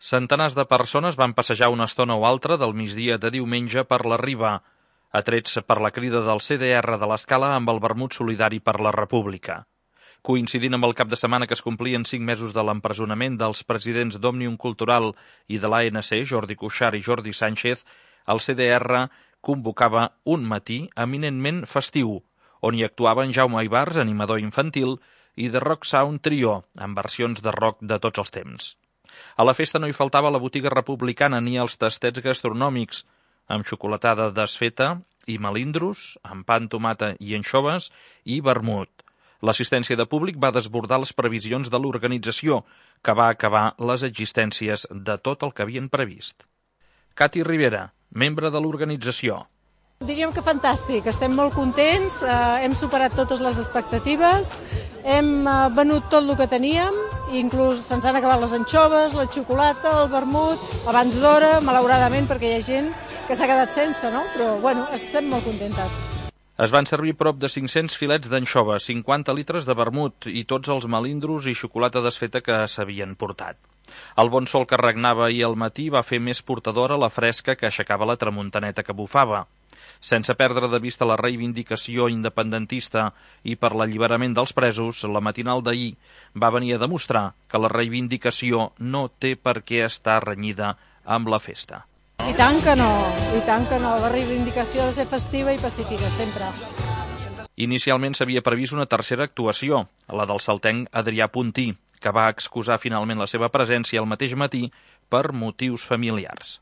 Centenars de persones van passejar una estona o altra del migdia de diumenge per la Riba, atrets per la crida del CDR de l'Escala amb el vermut solidari per la República. Coincidint amb el cap de setmana que es complien 5 mesos de l'empresonament dels presidents d'Òmnium Cultural i de l'ANC, Jordi Cuixart i Jordi Sánchez, el CDR convocava un matí eminentment festiu, on hi actuaven Jaume Ibars, animador infantil, i The Rock Sound Trio, amb versions de rock de tots els temps. A la festa no hi faltava la botiga republicana ni els tastets gastronòmics, amb xocolatada desfeta i melindros, amb pa amb tomata i anxoves i vermut. L'assistència de públic va desbordar les previsions de l'organització, que va acabar les existències de tot el que havien previst. Cati Rivera, membre de l'organització. Diríem que fantàstic, estem molt contents, hem superat totes les expectatives, hem venut tot el que teníem, inclús se'ns han acabat les anxoves, la xocolata, el vermut, abans d'hora, malauradament, perquè hi ha gent que s'ha quedat sense, no? Però, bueno, estem molt contentes. Es van servir prop de 500 filets d'anxoves, 50 litres de vermut i tots els melindros i xocolata desfeta que s'havien portat. El bon sol que regnava ahir al matí va fer més portadora la fresca que aixecava la tramuntaneta que bufava. Sense perdre de vista la reivindicació independentista i per l'alliberament dels presos, la matinal d'ahir va venir a demostrar que la reivindicació no té per què estar renyida amb la festa. I tant que no, la reivindicació ha de ser festiva i pacífica, sempre. Inicialment s'havia previst una tercera actuació, la del saltenc Adrià Puntí, que va excusar finalment la seva presència el mateix matí per motius familiars.